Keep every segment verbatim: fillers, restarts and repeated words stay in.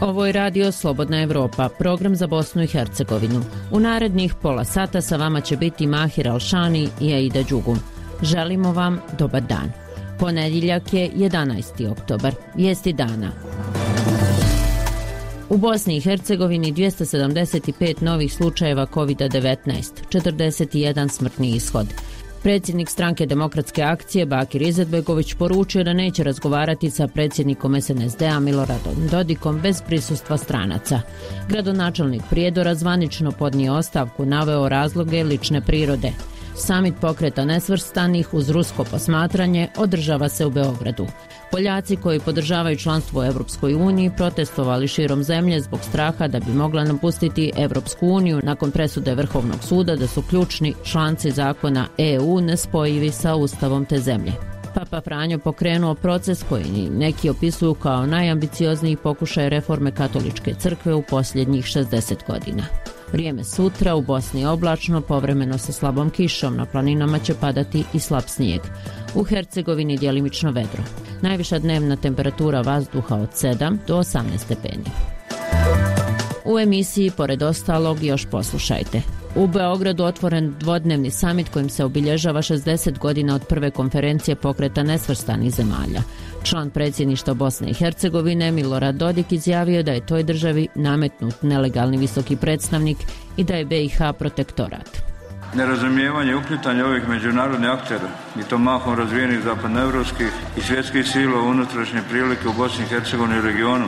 Ovo je radio Slobodna Evropa, program za Bosnu i Hercegovinu. U narednih pola sata sa vama će biti Mahir Alšani i Aida Đugum. Želimo vam dobar dan. Ponedjeljak je jedanaesti oktobar, vijesti dana. U Bosni i Hercegovini dvjesto sedamdeset pet novih slučajeva kovid devetnaest, četrdeset jedan smrtni ishod. Predsjednik stranke Demokratske akcije Bakir Izetbegović poručio da neće razgovarati sa predsjednikom es en es de a Miloradom Dodikom bez prisustva stranaca. Gradonačelnik Prijedora zvanično podnio ostavku, naveo razloge lične prirode. Samit pokreta nesvrstanih uz rusko posmatranje održava se u Beogradu. Poljaci koji podržavaju članstvo u Evropskoj uniji protestovali širom zemlje zbog straha da bi mogla napustiti Evropsku uniju nakon presude Vrhovnog suda da su ključni članci zakona e u nespojivi sa ustavom te zemlje. Papa Franjo pokrenuo proces koji neki opisuju kao najambiciozniji pokušaj reforme katoličke crkve u posljednjih šezdeset godina. Vrijeme sutra u Bosni oblačno, povremeno sa slabom kišom, na planinama će padati i slab snijeg. U Hercegovini djelimično vedro. Najviša dnevna temperatura vazduha od sedam do osamnaest stepeni. U emisiji, pored ostalog, još poslušajte. U Beogradu otvoren dvodnevni samit kojim se obilježava šezdeset godina od prve konferencije pokreta nesvrstanih zemalja. Član predsjedništva Bosne i Hercegovine Milorad Dodik izjavio da je toj državi nametnut nelegalni visoki predstavnik i da je be i ha protektorat. Nerazumijevanje i uplitanje ovih međunarodnih aktera i to mahom razvijenih zapadnoevropskih i svjetskih sila u unutrašnje prilike u Bosni i Hercegovini i regionu,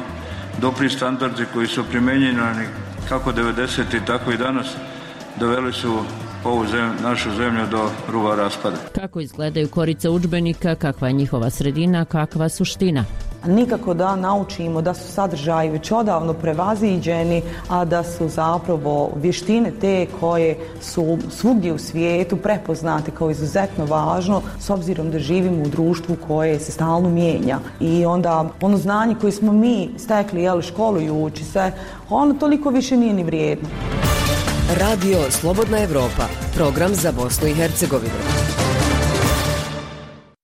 dopri standardi koji su primjenjeni kako devedesetih tako i danas doveli su ovu zemlju, našu zemlju do ruba raspada. Kako izgledaju korice udžbenika, kakva je njihova sredina, kakva suština? Nikako da naučimo da su sadržaji već odavno prevaziđeni, a da su zapravo vještine te koje su svugdje u svijetu prepoznate kao izuzetno važno, s obzirom da živimo u društvu koje se stalno mijenja. I onda ono znanje koje smo mi stekli, jel, školujući se, ono toliko više nije ni vrijedno. Radio Slobodna Evropa, program za Bosnu i Hercegovinu.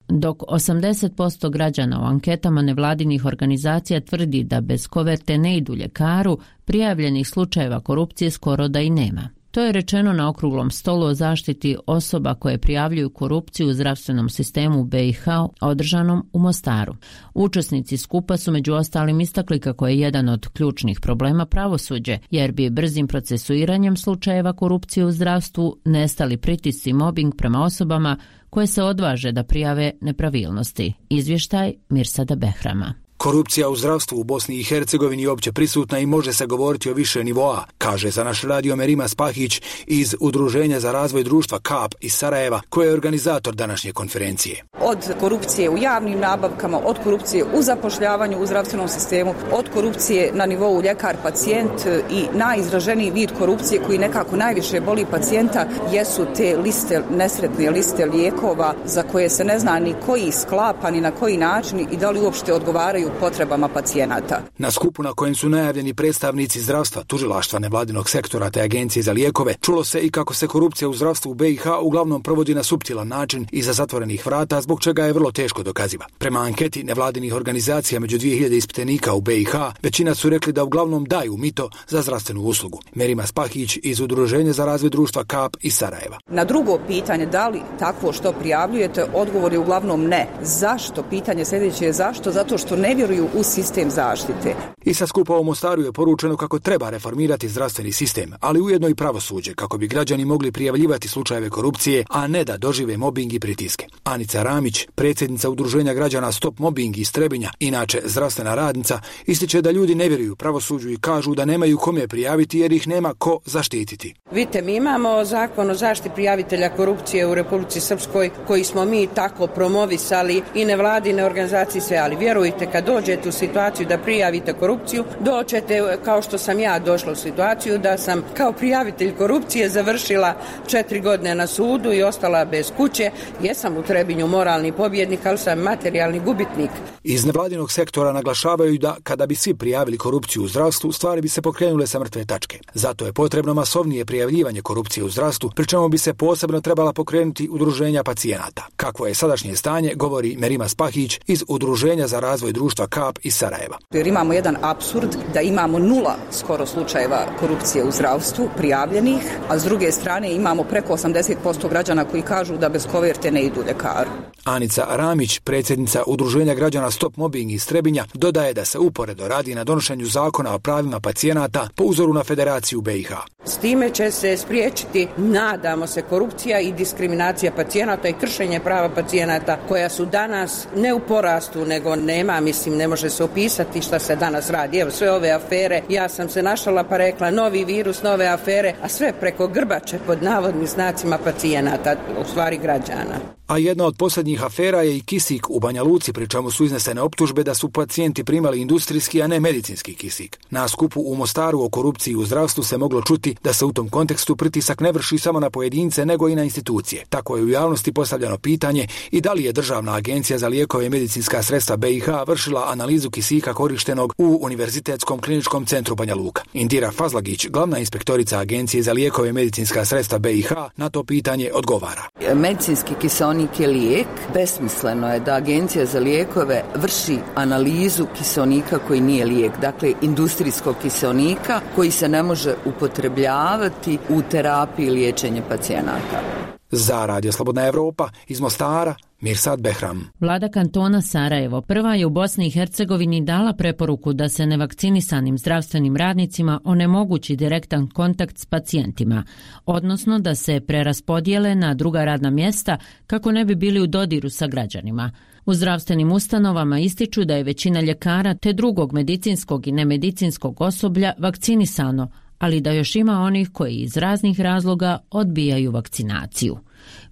Dok osamdeset posto građana u anketama nevladinih organizacija tvrdi da bez koverte ne idu ljekaru, prijavljenih slučajeva korupcije skoro da i nema. To je rečeno na okruglom stolu o zaštiti osoba koje prijavljuju korupciju u zdravstvenom sistemu u be i ha održanom u Mostaru. Učesnici skupa su među ostalim istakli kako je jedan od ključnih problema pravosuđe, jer bi brzim procesuiranjem slučajeva korupcije u zdravstvu nestali pritisci i mobbing prema osobama koje se odvaže da prijave nepravilnosti. Izvještaj Mirsada Behrama. Korupcija u zdravstvu u Bosni i Hercegovini je opće prisutna i može se govoriti o više nivoa, kaže za naš radio Merima Spahić iz Udruženja za razvoj društva kap iz Sarajeva, koji je organizator današnje konferencije. Od korupcije u javnim nabavkama, od korupcije u zapošljavanju u zdravstvenom sistemu, od korupcije na nivou ljekar-pacijent i najizraženiji vid korupcije koji nekako najviše boli pacijenta jesu te liste, nesretne liste lijekova za koje se ne zna ni koji sklapa, ni na koji način i da li uopšte odgovaraju potrebama pacijenata. Na skupu na kojem su najavljeni predstavnici zdravstva, tužilaštva, nevladinog sektora te agencije za lijekove, čulo se i kako se korupcija u zdravstvu u be i ha uglavnom provodi na suptilan način iza zatvorenih vrata, zbog čega je vrlo teško dokaziva. Prema anketi nevladinih organizacija među dvije hiljade ispitanika u be i ha, većina su rekli da uglavnom daju mito za zdravstvenu uslugu. Merima Spahić iz Udruženja za razvoj društva kap iz Sarajeva. Na drugo pitanje, da li takvo što prijavljujete, odgovor je uglavnom ne. Zašto? Pitanje sljedeće je zašto? Zato što ne vjeruju u sistem zaštite. I sa skupa u Mostaru je poručeno kako treba reformirati zdravstveni sistem, ali ujedno i pravosuđe, kako bi građani mogli prijavljivati slučajeve korupcije, a ne da dožive mobing i pritiske. Anica Ramić, predsjednica Udruženja građana Stop Mobbing iz Trebinja, inače zdravstvena radnica, ističe da ljudi ne vjeruju pravosuđu i kažu da nemaju kome prijaviti jer ih nema ko zaštititi. Vidite, mi imamo zakon o zaštiti prijavitelja korupcije u Republici Srpskoj koji smo mi tako promovisali i nevladine organizacije sve, ali vjerujte, kad dođete u situaciju da prijavite korupciju, doćete kao što sam ja došla u situaciju da sam kao prijavitelj korupcije završila četiri godine na sudu i ostala bez kuće. Jesam u Trebinju moralni pobjednik, ali sam materijalni gubitnik. Iz nevladinog sektora naglašavaju da kada bi svi prijavili korupciju u zdravstvu, stvari bi se pokrenule sa mrtve tačke. Zato je potrebno masovnije prijavljivanje korupcije u zdravstvu, pri čemu bi se posebno trebala pokrenuti udruženja pacijenata. Kakvo je sadašnje stanje, govori Merima Spahić iz Udruženja za razvoj društva Kap iz Sarajeva. Jer imamo jedan apsurd da imamo nula skoro slučajeva korupcije u zdravstvu prijavljenih, a s druge strane imamo preko osamdeset posto građana koji kažu da bez koverte ne idu ljekaru. Anica Ramić, predsjednica Udruženja građana Stop Mobbing iz Trebinja, dodaje da se uporedo radi na donošenju zakona o pravima pacijenata po uzoru na Federaciju B i H. S time će se spriječiti, nadamo se, korupcija i diskriminacija pacijenata i kršenje prava pacijenata koja su danas ne u porastu, nego nema, mislim, ne može se opisati šta se danas radi. Evo, sve ove afere, ja sam se našala pa rekla novi virus, nove afere, a sve preko grbače pod navodnim znacima pacijenata, u stvari građana. A jedna od posljednjih afera je i kisik u Banja Luci, pri čemu su iznesene optužbe da su pacijenti primali industrijski, a ne medicinski kisik. Na skupu u Mostaru o korupciji u zdravstvu se moglo čuti da se u tom kontekstu pritisak ne vrši samo na pojedince, nego i na institucije. Tako je u javnosti postavljeno pitanje i da li je Državna agencija za lijekove i medicinska sredstva B i H vršila analizu kisika korištenog u Univerzitetskom kliničkom centru Banja Luka. Indira Fazlagić, glavna inspektorica Agencije za lijekove i medicinska sredstva B i H, na to pitanje odgovara. Medicinski kiseonik je lijek. Besmisleno je da Agencija za lijekove vrši analizu kiseonika koji nije lijek, dakle industrijskog kiseonika koji se ne može upotrebljavati u terapiji liječenja pacijenata. Za Radio Slobodna Evropa iz Mostara, Mirsad Behram. Vlada kantona Sarajevo prva je u Bosni i Hercegovini dala preporuku da se nevakcinisanim zdravstvenim radnicima onemogući direktan kontakt s pacijentima, odnosno da se preraspodijele na druga radna mjesta kako ne bi bili u dodiru sa građanima. U zdravstvenim ustanovama ističu da je većina ljekara te drugog medicinskog i nemedicinskog osoblja vakcinisano, ali da još ima onih koji iz raznih razloga odbijaju vakcinaciju.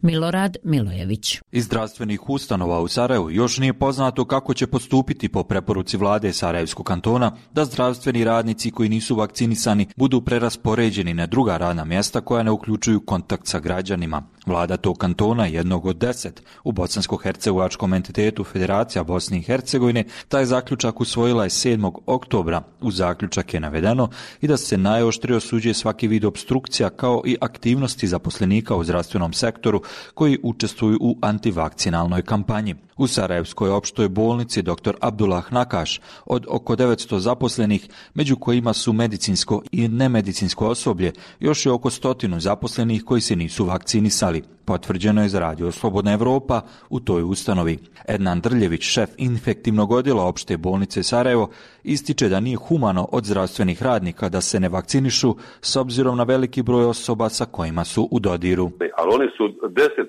Milorad Milojević. Iz zdravstvenih ustanova u Sarajevu još nije poznato kako će postupiti po preporuci vlade Sarajevskog kantona da zdravstveni radnici koji nisu vakcinisani budu preraspoređeni na druga radna mjesta koja ne uključuju kontakt sa građanima. Vlada tog kantona, jednog od deset u bosansko-hercegovačkom entitetu Federacija Bosne i Hercegovine, taj zaključak usvojila je sedmog oktobra. U zaključak je navedeno i da se najoštrije osuđuje svaki vid opstrukcija kao i aktivnosti zaposlenika u zdravstvenom sektoru koji učestvuju u antivakcinalnoj kampanji. U Sarajevskoj opštoj bolnici dr. Abdullah Nakaš od oko devetsto zaposlenih, među kojima su medicinsko i nemedicinsko osoblje, još je oko stotinu zaposlenih koji se nisu vakcinisali. Potvrđeno je za Radio Slobodna Evropa u toj ustanovi. Ednan Drljević, šef infektivnog odjela opšte bolnice Sarajevo, ističe da nije humano od zdravstvenih radnika da se ne vakcinišu s obzirom na veliki broj osoba sa kojima su u dodiru. Ali oni su deset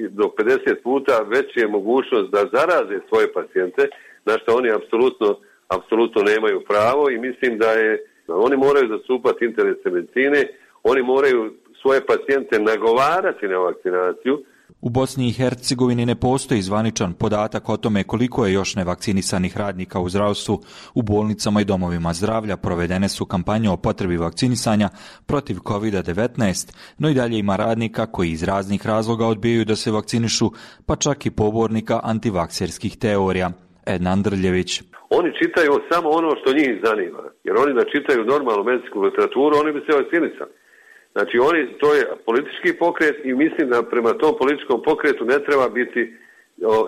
do pedeset puta veća je mogućnost da zaraze svoje pacijente, na što oni apsolutno, apsolutno nemaju pravo i mislim da je, oni moraju zastupati interese medicine, oni moraju svoje pacijente nagovarati na vakcinaciju. U Bosni i Hercegovini ne postoji zvaničan podatak o tome koliko je još nevakcinisanih radnika u zdravstvu. U bolnicama i domovima zdravlja provedene su kampanje o potrebi vakcinisanja protiv kovid devetnaest, no i dalje ima radnika koji iz raznih razloga odbijaju da se vakcinišu, pa čak i pobornika antivakserskih teorija. Ednan Drljević. Oni čitaju samo ono što njih zanima, jer oni da čitaju normalnu medicinsku literaturu, oni bi se vakcinisali. Znači, oni, to je politički pokret i mislim da prema tom političkom pokretu ne treba biti,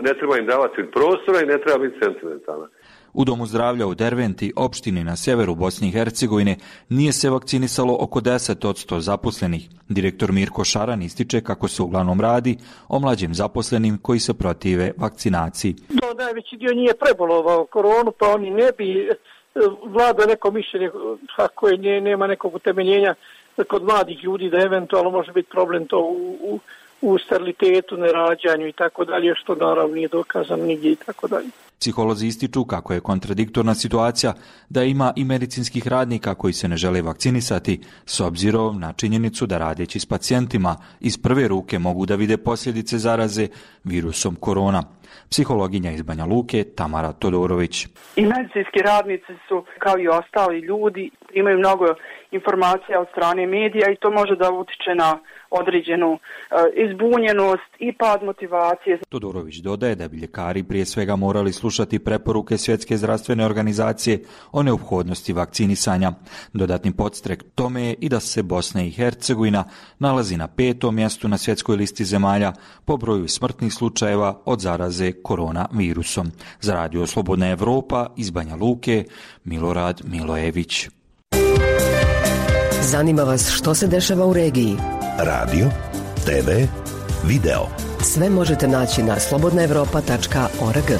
ne treba im davati prostora i ne treba biti sentimentalna. U Domu zdravlja u Derventi, opštini na sjeveru Bosne i Hercegovine, nije se vakcinisalo oko deset posto zaposlenih. Direktor Mirko Šaran ističe kako se uglavnom radi o mlađim zaposlenim koji se protive vakcinaciji. Do, najveći dio nije prebolovao koronu, pa oni ne bi vlada neko mišljenje koje ne, nema nekog utemeljenja kod mladih ljudi da eventualno može biti problem to u, u, u sterilitetu, nerađanju i tako dalje, što naravno nije dokazano nigdje i tako dalje. Psiholozi ističu kako je kontradiktorna situacija da ima i medicinskih radnika koji se ne žele vakcinisati, s obzirom na činjenicu da radeći s pacijentima iz prve ruke mogu da vide posljedice zaraze virusom korona. Psihologinja iz Banja Luke Tamara Todorović. I medicinski radnici su, kao i ostali ljudi, imaju mnogo informacija od strane medija i to može da utiče na određenu e, izbunjenost i pad motivacije. Todorović dodaje da bi ljekari prije svega morali slušati preporuke Svjetske zdravstvene organizacije o neophodnosti vakcinisanja. Dodatni podstrek tome je i da se Bosna i Hercegovina nalazi na petom mjestu na svjetskoj listi zemalja po broju smrtnih slučajeva od zaraze koronavirusom. Za Radio Slobodna Evropa iz Banja Luke, Milorad Milojević. Zanima vas što se dešava u regiji? Radio, te ve, video. Sve možete naći na slobodna evropa tačka org.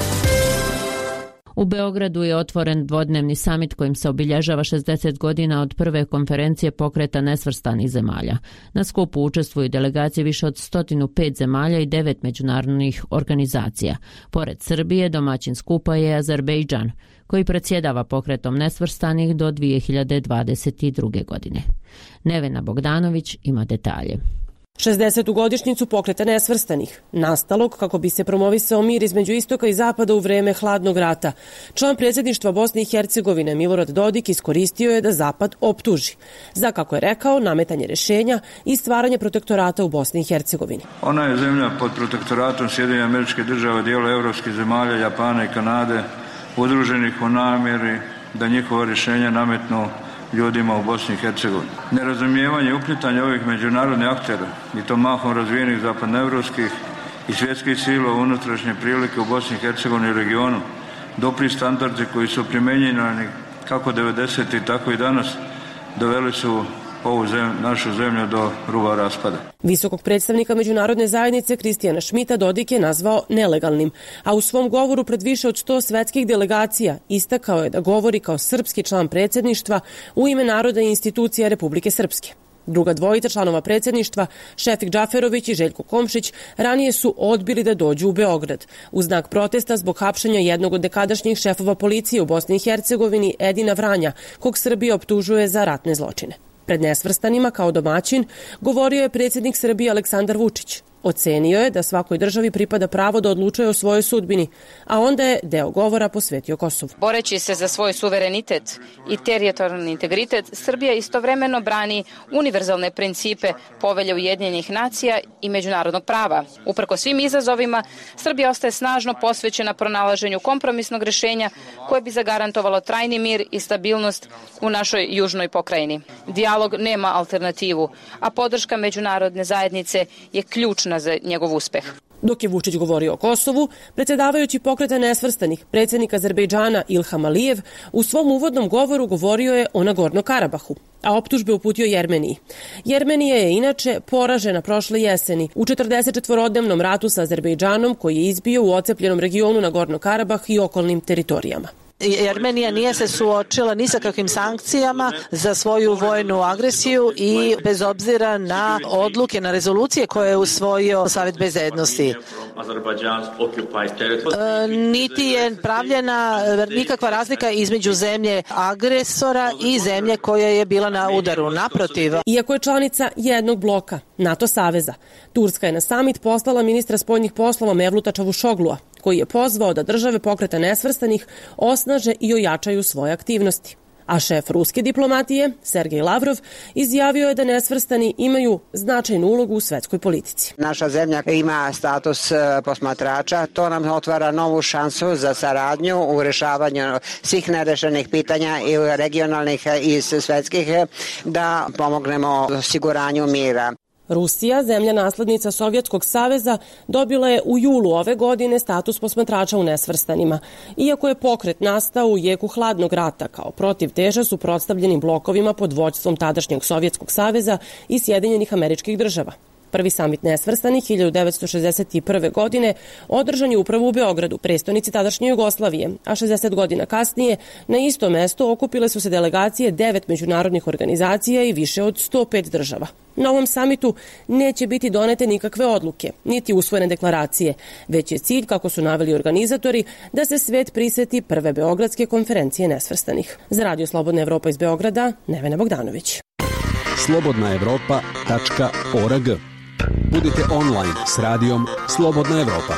U Beogradu je otvoren dvodnevni samit kojim se obilježava šezdeset godina od prve konferencije pokreta nesvrstanih zemalja. Na skupu učestvuju delegacije više od sto pet zemalja i devet međunarodnih organizacija. Pored Srbije, domaćin skupa je Azerbejdžan, koji predsjedava pokretom nesvrstanih do dvije hiljade dvadeset druge. godine. Nevena Bogdanović ima detalje. šezdesetu godišnjicu pokreta nesvrstanih, nastalog kako bi se promovisao mir između istoka i zapada u vreme hladnog rata. Član predsjedništva Bosne i Hercegovine Milorad Dodik iskoristio je da zapad optuži za, kako je rekao, nametanje rješenja i stvaranje protektorata u Bosni i Hercegovini. Ona je zemlja pod protektoratom Sjedinjenih Američkih Država, dijela evropskih zemalja, Japana i Kanade, udruženih u namjeri da njihova rješenja nametnu ljudima u Bosni i Hercegovini. Nerazumijevanje i uplitanje ovih međunarodnih aktera, i to mahom razvijenih zapadnoevropskih i svjetskih sila u unutrašnje prilike u Bosni i Hercegovini i regionu, dopri standardi koji su primjenjeni kako devedesetih tako i danas, doveli su ovu zemlju, našu zemlju do ruba raspada. Visokog predstavnika međunarodne zajednice Kristijana Šmita Dodik je nazvao nelegalnim, a u svom govoru pred više od sto svetskih delegacija istakao je da govori kao srpski član predsjedništva u ime naroda i institucija Republike Srpske. Druga dvojica članova predsjedništva, Šefik Džaferović i Željko Komšić, ranije su odbili da dođu u Beograd u znak protesta zbog hapšenja jednog od nekadašnjih šefova policije u Bosni i Hercegovini, Edina Vranja, kog Srbija optužuje za ratne zločine. Pred nesvrstanima kao domaćin govorio je predsjednik Srbije Aleksandar Vučić. Ocenio je da svakoj državi pripada pravo da odlučuje o svojoj sudbini, a onda je deo govora posvetio Kosovu. Boreći se za svoj suverenitet i teritorijalni integritet, Srbija istovremeno brani univerzalne principe Povelje Ujedinjenih nacija i međunarodnog prava. Uprko svim izazovima, Srbija ostaje snažno posvećena pronalaženju kompromisnog rješenja koje bi zagarantovalo trajni mir i stabilnost u našoj južnoj pokrajini. Dijalog nema alternativu, a podrška međunarodne zajednice je ključna za njegov uspeh. Dok je Vučić govorio o Kosovu, predsjedavajući pokreta nesvrstanih, predsjednik Azerbejdžana Ilham Alijev u svom uvodnom govoru govorio je o Nagorno-Karabahu, a optužbe uputio Jermeniji. Jermenija je inače poražena prošle jeseni u četrdesetčetvorodnevnom ratu sa Azerbejdžanom koji je izbio u ocepljenom regionu Nagorno-Karabah i okolnim teritorijama. Armenija nije se suočila ni sa kakvim sankcijama za svoju vojnu agresiju i bez obzira na odluke, na rezolucije koje je usvojio Savet bezbednosti. E, niti je pravljena nikakva razlika između zemlje agresora i zemlje koja je bila na udaru. Naprotiv. Iako je članica jednog bloka, NATO saveza, Turska je na samit poslala ministra spoljnih poslova Mevluta Čavušoglua, koji je pozvao da države pokreta nesvrstanih osnaže i ojačaju svoje aktivnosti. A šef ruske diplomatije, Sergej Lavrov, izjavio je da nesvrstani imaju značajnu ulogu u svetskoj politici. Naša zemlja ima status posmatrača, to nam otvara novu šansu za saradnju u rješavanju svih nerešenih pitanja i regionalnih i svetskih, da pomognemo osiguranju mira. Rusija, zemlja naslednica Sovjetskog saveza, dobila je u julu ove godine status posmatrača u nesvrstanima. Iako je pokret nastao u jeku hladnog rata kao protivteža suprotstavljenim blokovima pod vođstvom tadašnjeg Sovjetskog saveza i Sjedinjenih Američkih Država. Prvi samit nesvrstanih hiljadu devetsto šezdeset prve. godine održan je upravo u Beogradu, prestonici tadašnje Jugoslavije, a šezdeset godina kasnije na isto mesto okupile su se delegacije devet međunarodnih organizacija i više od sto pet država. Na ovom samitu neće biti donete nikakve odluke, niti usvojene deklaracije, već je cilj, kako su naveli organizatori, da se svet priseti prve Beogradske konferencije nesvrstanih. Za Radio Slobodna Evropa iz Beograda, Nevena Bogdanović. slobodna evropa tačka org. Budite online s radijom Slobodna Evropa.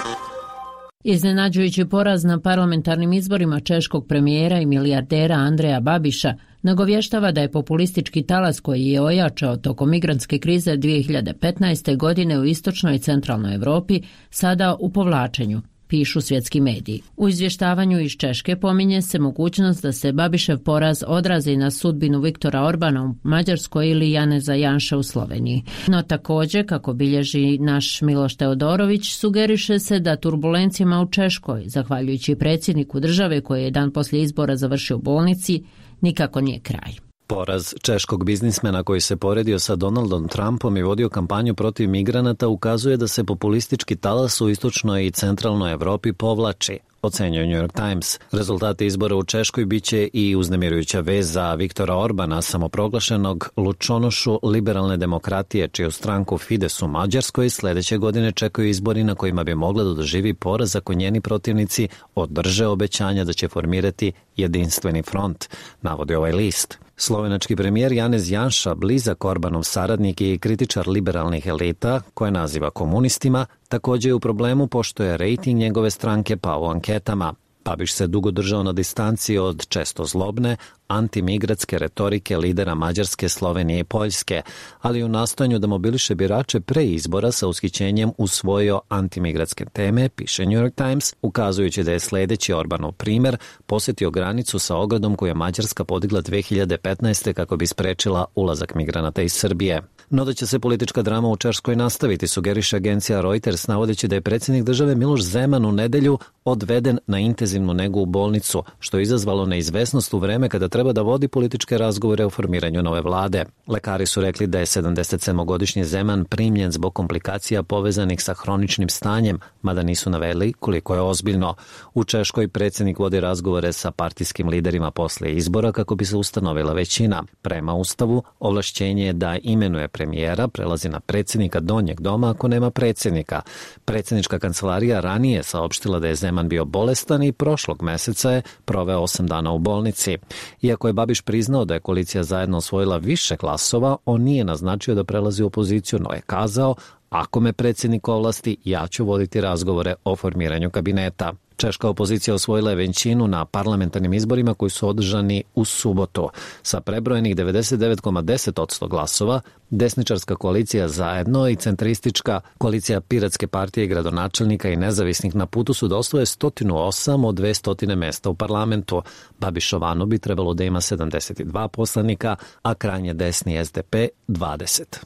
Iznenađujući poraz na parlamentarnim izborima češkog premijera i milijardera Andreja Babiša nagovještava da je populistički talas koji je ojačao tokom migrantske krize dvije hiljade petnaeste. godine u istočnoj i centralnoj Evropi sada u povlačenju, pišu svjetski mediji. U izvještavanju iz Češke pominje se mogućnost da se Babišev poraz odrazi na sudbinu Viktora Orbana u Mađarskoj ili Janeza Janše u Sloveniji. No također, kako bilježi naš Miloš Teodorović, sugeriše se da turbulencijama u Češkoj, zahvaljujući predsjedniku države koji je dan poslije izbora završio u bolnici, nikako nije kraj. Poraz češkog biznismena koji se poredio sa Donaldom Trumpom i vodio kampanju protiv migranata ukazuje da se populistički talas u istočnoj i centralnoj Evropi povlači, ocenjuje New York Times. Rezultati izbora u Češkoj biće i uznemirujuća vez za Viktora Orbana, samoproglašenog lučonošu liberalne demokratije, čiju stranku Fides u Mađarskoj sljedeće godine čekaju izbori na kojima bi mogla da doživi poraz ako njeni protivnici održe obećanja da će formirati jedinstveni front, navodi ovaj list. Slovenački premijer Janez Janša, blizak Orbanov saradnik i kritičar liberalnih elita, koje naziva komunistima, također je u problemu pošto je rejting njegove stranke pao u anketama. Babiš se dugo držao na distanci od često zlobne, antimigratske retorike lidera Mađarske, Slovenije i Poljske, ali u nastojanju da mobiliše birače pre izbora sa ushićenjem usvojio antimigratske teme, piše New York Times, ukazujući da je sljedeći Orbanov primjer posjetio granicu sa ogradom koju je Mađarska podigla dvije hiljade petnaeste. kako bi sprečila ulazak migranata iz Srbije. No da će se politička drama u Češkoj nastaviti, sugeriše agencija Reuters, navodeći da je predsjednik države Miloš Zeman u nedelju odveden na intenzivnu negu u bolnicu, što je izazvalo neizvesnost u vreme kada treba da vodi političke razgovore o formiranju nove vlade. Lekari su rekli da je sedamdesetsedmogodišnji Zeman primljen zbog komplikacija povezanih sa hroničnim stanjem, mada nisu naveli koliko je ozbiljno. U Češkoj predsjednik vodi razgovore sa partijskim liderima poslije izbora kako bi se ustanovila većina. Prema Ustavu, ovlašćenje je da imenuje premijera prelazi na predsjednika donjeg doma ako nema predsjednika. Predsjednička kancelarija ranije saopštila da je Zeman bio bolestan i prošlog meseca je proveo osam dana u bolnici. Iako je Babiš priznao da je koalicija zajedno osvojila više glasova, on nije naznačio da prelazi u opoziciju, no je kazao: ako me predsjednik ovlasti, ja ću voditi razgovore o formiranju kabineta. Češka opozicija osvojila je većinu na parlamentarnim izborima koji su održani u subotu. Sa prebrojenih devedeset devet zarez deset posto glasova, desničarska koalicija Zajedno i centristička koalicija Piratske partije i gradonačelnika i nezavisnih na putu su da osvoje sto osam od dvesta mesta u parlamentu. Babišovano bi trebalo da ima sedamdeset dva poslanika, a krajnje desni es de pe dvadeset.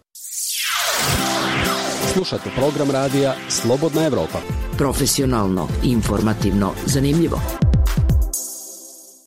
Slušate program radija Slobodna Evropa. Profesionalno, informativno, zanimljivo.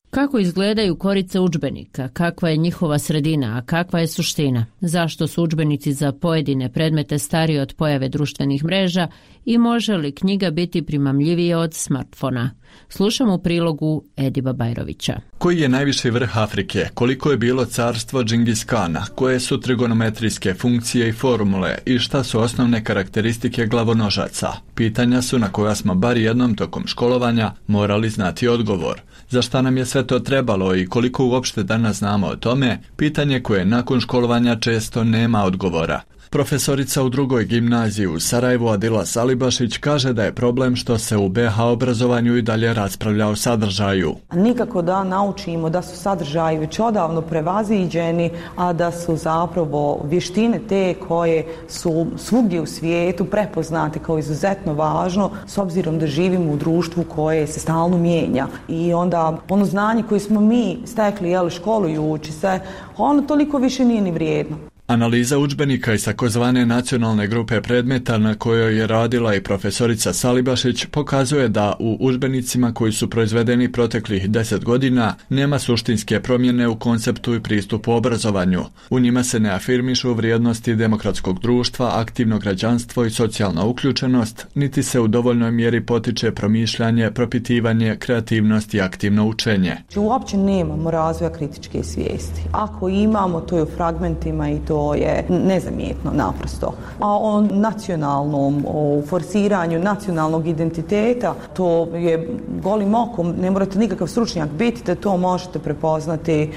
Kako izgledaju korice udžbenika, kakva je njihova sredina, a kakva je suština? Zašto su udžbenici za pojedine predmete stariji od pojave društvenih mreža i može li knjiga biti primamljivija od smartfona? Slušamo u prilogu Ediba Bajrovića. Koji je najviši vrh Afrike? Koliko je bilo carstvo Džingis Kana? Koje su trigonometrijske funkcije i formule? I šta su osnovne karakteristike glavonožaca? Pitanja su na koja smo bar jednom tokom školovanja morali znati odgovor. Za šta nam je sve to trebalo i koliko uopšte danas znamo o tome? Pitanje koje nakon školovanja često nema odgovora. Profesorica u drugoj gimnaziji u Sarajevu Adila Salibašić kaže da je problem što se u be ha obrazovanju i dalje raspravlja o sadržaju. Nikako da naučimo da su sadržaji već odavno prevaziđeni, a da su zapravo vještine te koje su svugdje u svijetu prepoznate kao izuzetno važno, s obzirom da živimo u društvu koje se stalno mijenja. I onda ono znanje koje smo mi stekli, jel, školujući se, ono toliko više nije ni vrijedno. Analiza udžbenika iz takozvane nacionalne grupe predmeta na kojoj je radila i profesorica Salibašić pokazuje da u udžbenicima koji su proizvedeni proteklih deset godina nema suštinske promjene u konceptu i pristupu obrazovanju. U njima se ne afirmišu vrijednosti demokratskog društva, aktivno građanstvo i socijalna uključenost, niti se u dovoljnoj mjeri potiče promišljanje, propitivanje, kreativnost i aktivno učenje. Uopće nemamo razvoja kritičke svijesti. Ako imamo, to je u fragmentima i to je nezamjetno naprosto. A o nacionalnom, o forsiranju nacionalnog identiteta, to je golim okom, ne morate nikakav stručnjak biti da to možete prepoznati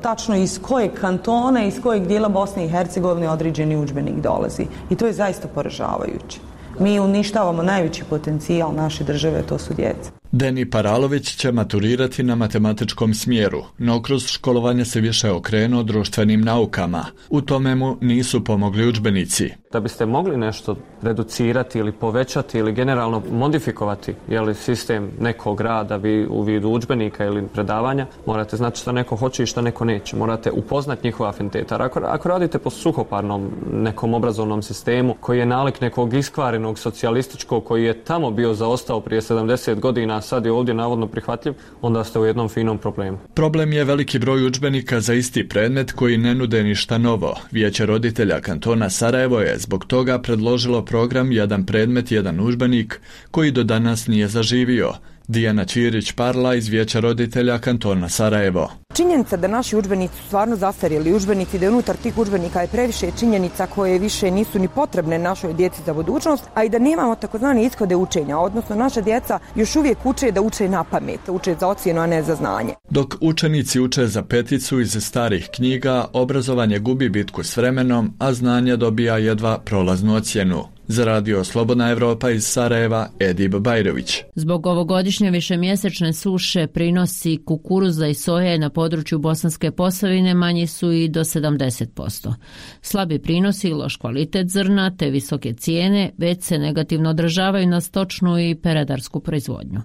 tačno iz kojeg kantona, iz kojeg dijela Bosne i Hercegovine određeni udžbenik dolazi. I to je zaista poražavajuće. Mi uništavamo najveći potencijal naše države, to su djeca. Deni Paralović će maturirati na matematičkom smjeru, no kroz školovanje se više okrenuo društvenim naukama. U tome mu nisu pomogli udžbenici. Da biste mogli nešto reducirati ili povećati ili generalno modifikovati jeli, sistem nekog rada vi u vidu udžbenika ili predavanja, morate znati šta neko hoće i šta neko neće. Morate upoznati njihova afiniteta. Ako, ako radite po suhoparnom nekom obrazovnom sistemu koji je nalik nekog iskvarenog socijalističkog koji je tamo bio zaostao prije sedamdeset godina, a sad je ovdje navodno prihvatljiv, onda ste u jednom finom problemu. Problem je veliki broj udžbenika za isti predmet koji ne nude ništa novo. Vijeće roditelja kantona Sarajevo je zbog toga predložilo program Jedan predmet, jedan udžbenik koji do danas nije zaživio. Dijana Ćirić-Parla iz Vijeća roditelja kantona Sarajevo. Činjenica da naši udžbenici su stvarno zastarjeli udžbenici, da je unutar tih udžbenika je previše činjenica koje više nisu ni potrebne našoj djeci za budućnost, a i da nemamo takozvane ishode učenja, odnosno naša djeca još uvijek uče da uče na pamet, uče za ocjenu, a ne za znanje. Dok učenici uče za peticu iz starih knjiga, obrazovanje gubi bitku s vremenom, a znanje dobija jedva prolaznu ocjenu. Za radio Slobodna Evropa iz Sarajeva, Edib Bajrović. Zbog ovogodišnje višemjesečne suše prinosi kukuruza i soje na području Bosanske Posavine manji su i do sedamdeset posto. Slabi prinosi i loš kvalitet zrna te visoke cijene već se negativno odražavaju na stočnu i peradarsku proizvodnju.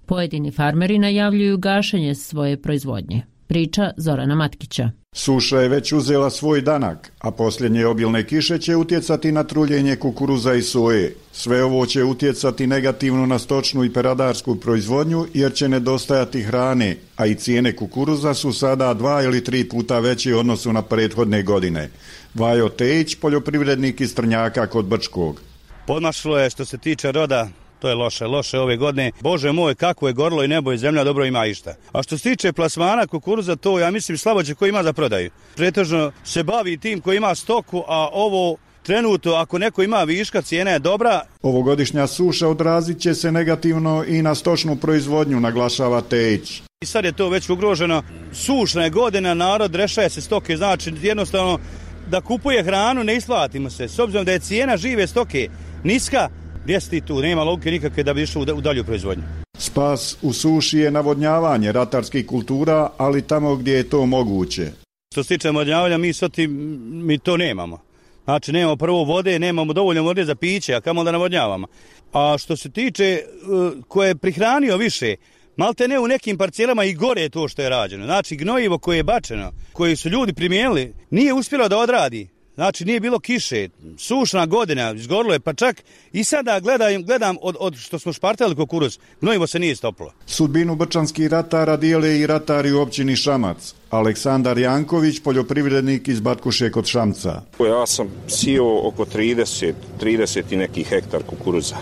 Pojedini farmeri najavljuju gašenje svoje proizvodnje. Priča Zorana Matkića. Suša je već uzela svoj danak, a posljednje obilne kiše će utjecati na truljenje kukuruza i soje. Sve ovo će utjecati negativno na stočnu i peradarsku proizvodnju jer će nedostajati hrane, a i cijene kukuruza su sada dva ili tri puta veće u odnosu na prethodne godine. Vajo Tejić, poljoprivrednik iz Trnjaka kod Brčkog. Podmašlo je što se tiče roda. To je loše, loše ove godine. Bože moj, kako je gorlo i nebo i zemlja, dobro ima išta. A što se tiče plasmana kukuruza, to ja mislim slaboće koji ima za prodaju. Pretežno se bavi tim koji ima stoku, a ovo trenutno ako neko ima viška, cijena je dobra. Ovogodišnja suša odrazit će se negativno i na stočnu proizvodnju, naglašava Tejić. I sad je to već ugroženo. Sušna je godina, narod rešaje se stoke, znači jednostavno da kupuje hranu ne isplatimo se. S obzirom da je cijena žive stoke niska, gdje si tu, nema logike nikakve da bi išlo u dalju proizvodnju. Spas u suši je navodnjavanje ratarskih kultura, ali tamo gdje je to moguće. Što se tiče navodnjavanja, mi soti, mi to nemamo. Znači, nemamo prvo vode, nemamo dovoljno vode za piće, a kamo da navodnjavamo. A što se tiče koje je prihranio više, malte ne u nekim parcelama i gore je to što je rađeno. Znači, gnojivo koje je bačeno, koje su ljudi primijenili, nije uspjelo da odradi. Znači nije bilo kiše, sušna godina, izgorilo je, pa čak i sada gledam, gledam od, od što smo špartali kukuruz, gnojivo se nije stopilo. Sudbinu brčanskih ratara dijele i ratari u općini Šamac. Aleksandar Janković, poljoprivrednik iz Batkuše kod Šamca. Ja sam sio oko trideset, trideset i neki hektar kukuruza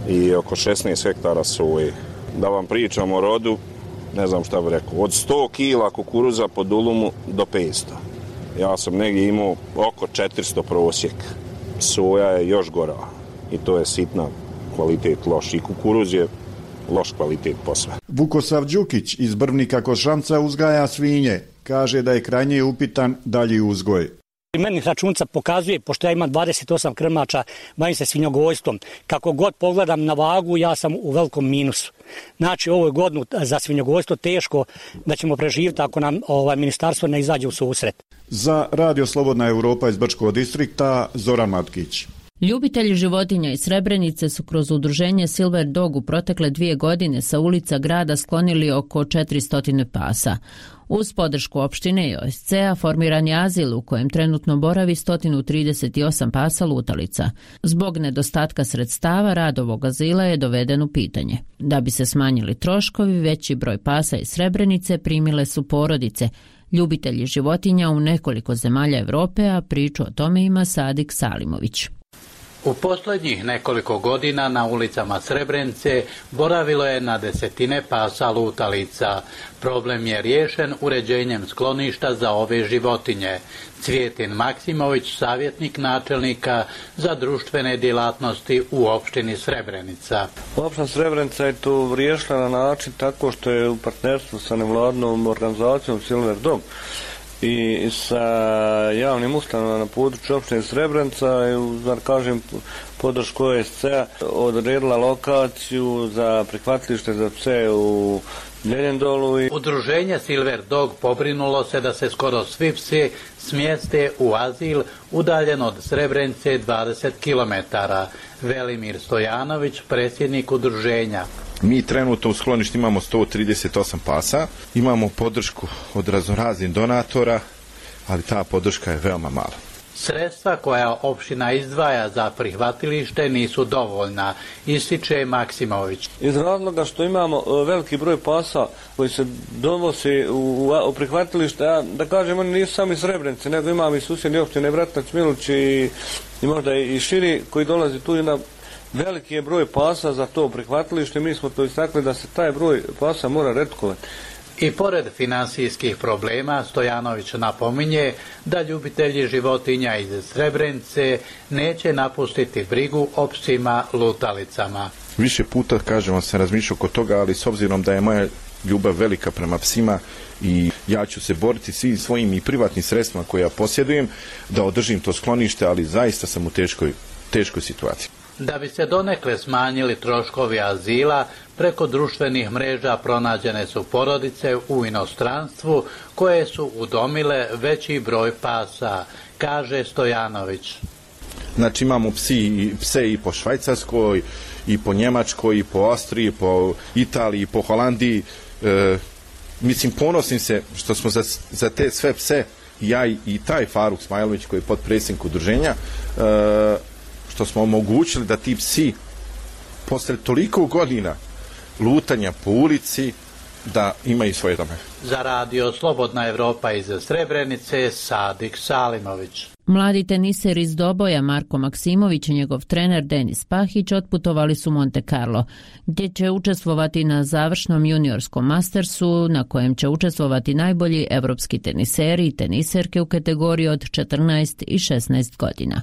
i oko šesnaest hektara soje. Da vam pričam o rodu, ne znam šta bih rekao, od sto kila kukuruza po dulumu do petsto. Ja sam negdje imao oko četiristo prosjek. Soja je još gora i to je sitna kvalitet loš. I kukuruz je loš kvalitet posve. Vukosav Đukić iz Brvnika kod Šamca uzgaja svinje. Kaže da je krajnje upitan dalji uzgoj. Meni računca pokazuje, pošto ja imam dvadeset osam krmača, bavim se svinjogojstvom. Kako god pogledam na vagu, ja sam u velikom minusu. Znači, ovo je godinu za svinjogojstvo teško da ćemo preživjeti ako nam ovaj, ministarstvo ne izađe u susret. Za Radio Slobodna Evropa iz Brčkog distrikta, Zoran Matkić. Ljubitelji životinja iz Srebrenice su kroz udruženje Silver Dog u protekle dvije godine sa ulica grada sklonili oko četiristo pasa. Uz podršku opštine i O S C-a formiran je azil u kojem trenutno boravi sto trideset osam pasa lutalica. Zbog nedostatka sredstava rad ovog azila je doveden u pitanje. Da bi se smanjili troškovi, veći broj pasa iz Srebrenice primile su porodice, ljubitelji životinja u nekoliko zemalja Evrope, a priču o tome ima Sadik Salimović. U posljednjih nekoliko godina na ulicama Srebrenice boravilo je na desetine pasa lutalica. Problem je riješen uređenjem skloništa za ove životinje. Cvijetin Maksimović, savjetnik načelnika za društvene djelatnosti u opštini Srebrenica. Opština Srebrenica je to riješila na način tako što je u partnerstvu sa nevladnom organizacijom Silver Dog i sa javnim ustanovama na području opštine Srebrenica i, da kažem, podršku O S C-a odredila lokaciju za prihvatilište za pse u Ljeljendolu. Udruženje Silver Dog pobrinulo se da se skoro svi psi smjeste u azil udaljen od Srebrenice dvadeset kilometara. Velimir Stojanović, predsjednik udruženja. Mi trenutno u skloništu imamo sto trideset osam pasa, imamo podršku od raznoraznih donatora, ali ta podrška je veoma mala. Sredstva koja opština izdvaja za prihvatilište nisu dovoljna, ističe Maksimović. Iz razloga što imamo veliki broj pasa koji se donosi u, u prihvatilište, a da kažem, oni nisu sami Srebrenice, nego imamo i susjedne opštine Bratunac, Miluć i, i možda i širi koji dolazi tu na veliki je broj pasa za to prihvatilište. Mi smo to istakli da se taj broj pasa mora retkovati. I pored finansijskih problema, Stojanović napominje da ljubitelji životinja iz Srebrenice neće napustiti brigu o psima lutalicama. Više puta, kažemo, se razmišljao oko toga, ali s obzirom da je moja ljubav velika prema psima i ja ću se boriti svim svojim i privatnim sredstvima koje ja posjedujem da održim to sklonište, ali zaista sam u teškoj, teškoj situaciji. Da bi se donekle smanjili troškovi azila, preko društvenih mreža pronađene su porodice u inostranstvu koje su udomile veći broj pasa, kaže Stojanović. Znači imamo psi, pse i po Švajcarskoj, i po Njemačkoj, i po Austriji, i po Italiji, i po Holandiji. E, mislim, ponosim se što smo za, za te sve pse, ja i, i taj Faruk Smajlović koji je potpredsjednik udruženja, e, što smo omogućili da ti psi posle toliko godina lutanja po ulici da imaju svoje dome. Za radio Slobodna Evropa iz Srebrenice, Sadik Salimović. Mladi teniser iz Doboja Marko Maksimović i njegov trener Denis Pahić otputovali su Monte Carlo, gdje će učestvovati na završnom juniorskom mastersu na kojem će učestvovati najbolji evropski teniseri i teniserke u kategoriji od četrnaest i šesnaest godina.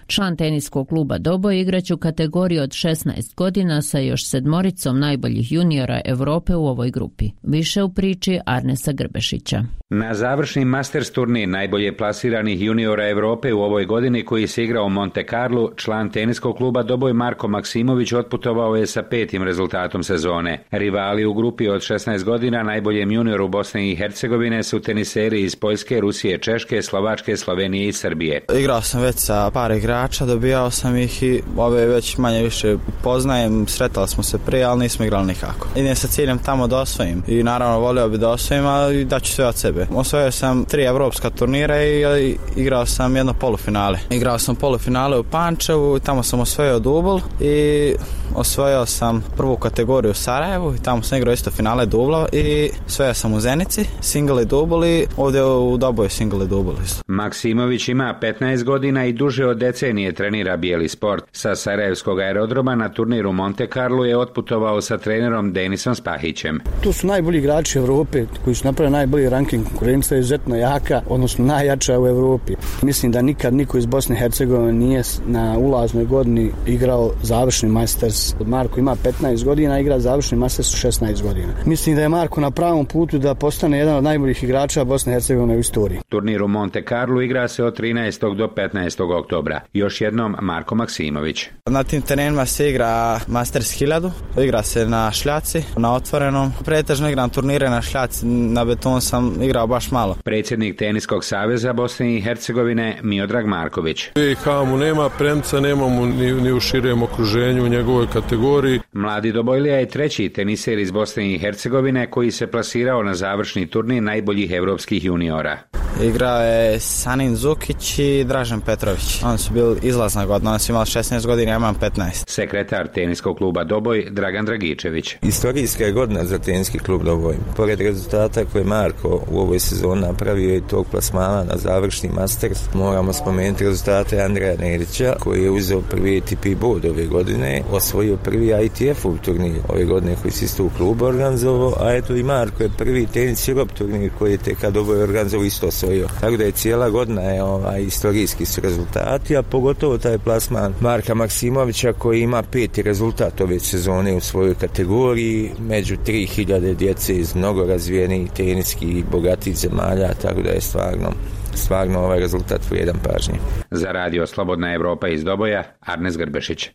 Član teniskog kluba Doboj igraće u kategoriji od šesnaest godina sa još sedmoricom najboljih juniora Evrope u ovoj grupi. Više u priči Arnesa Grbešića. Na završni Masters turnir najbolje plasiranih juniora Evrope u ovoj godini koji se igrao u Monte Carlo, član teniskog kluba Doboj Marko Maksimović otputovao je sa petim rezultatom sezone. Rivali u grupi od šesnaest godina najboljem junioru Bosne i Hercegovine su teniseri iz Poljske, Rusije, Češke, Slovačke, Slovenije i Srbije. Igrao sam već sa par igrača, dobijao sam ih i ove već manje više poznajem, sretali smo se prije, ali nismo igrali nikako. Idem sa ciljem tamo da osvojim i naravno volio bi da osvojim, ali daću sve od sebe. Osvojio sam tri evropska turnira i igrao sam jedno polufinale. Igrao sam polufinale u Pančevu, tamo sam osvojio dubl i osvojio sam prvu kategoriju u Sarajevu i tamo sam igrao isto finale dubla i osvojio sam u Zenici, single i dubl i ovdje u Doboju single i dubl. Maksimović ima petnaest godina i duže od decenije trenira bijeli sport. Sa Sarajevskog aerodroma na turniru Monte Carlo je otputovao sa trenerom Denisom Spahićem. Tu su najbolji igrači Evrope koji su napravili najbolji ranking. Konkurencija je izuzetno jaka, odnosno najjača u Evropi. Mislim da nikad niko iz Bosne i Hercegovine nije na ulaznoj godini igrao završni Masters. Marko ima petnaest godina, igra završni Masters u šesnaest godina. Mislim da je Marko na pravom putu da postane jedan od najboljih igrača Bosne i Hercegovine u istoriji. Turnir u Monte Carlo igra se od trinaestog do petnaestog oktobra. Još jednom Marko Maksimović. Na tim terenima se igra Masters hiljadu, igra se na šljaci, na otvorenom. Pretežno igram turnire na šljaci, na beton sam igrao baš malo. Predsjednik Teniskog saveza Bosne i Hercegovine Miodrag Marković. B i H mu nema premca, nemamo ni, ni u širem okruženju u njegovoj kategoriji. Mladi Dobojlija je treći teniser iz Bosne i Hercegovine koji se plasirao na završni turnir najboljih evropskih juniora. Igrao je Sanin Zukić i Dražen Petrović. Oni su bili izlazna godina, oni su imali šesnaest godina, ja imam petnaest. Sekretar teniskog kluba Doboj Dragan Dragičević. Istorijska je godina za teniski klub Doboj. Pored rezultata koje Marko u ovoj sezoni napravio i tog plasmana na završni Masters, moramo spomenuti rezultate Andreja Nerića koji je uzeo prvi A T P bod ove godine, osvojio prvi I T F-ov turnir ove godine koji se isto u klubu organizovao, a eto i Marko je prvi tenis Europe turnir koji je tek Doboj organizovao isto osvojio. Tako da je cijela godina je ovaj, istorijski su rezultati, a pogotovo taj plasman Marka Maksimovića koji ima peti rezultat ove sezone u svojoj kategoriji, među tri hiljade djece iz mnogo razvijenih teniskih i bogatih zemalja, tako da je stvarno stvarno ovaj rezultat vrijedan pažnje. Za radio Slobodna Evropa iz Doboja, Arnes Grbešić.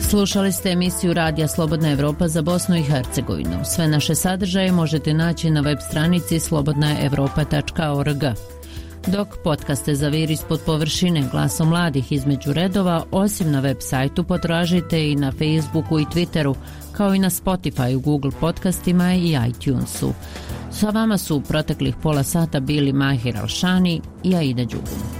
Slušali ste emisiju Radija Slobodna Evropa za Bosnu i Hercegovinu. Sve naše sadržaje možete naći na web stranici slobodna evropa tačka org. Dok podcaste Zavir ispod površine, glasom mladih između redova, osim na web sajtu potražite i na Facebooku i Twitteru, kao i na Spotify, Google podcastima i iTunesu. Sa vama su u proteklih pola sata bili Mahir Alšani i Aida Đugum.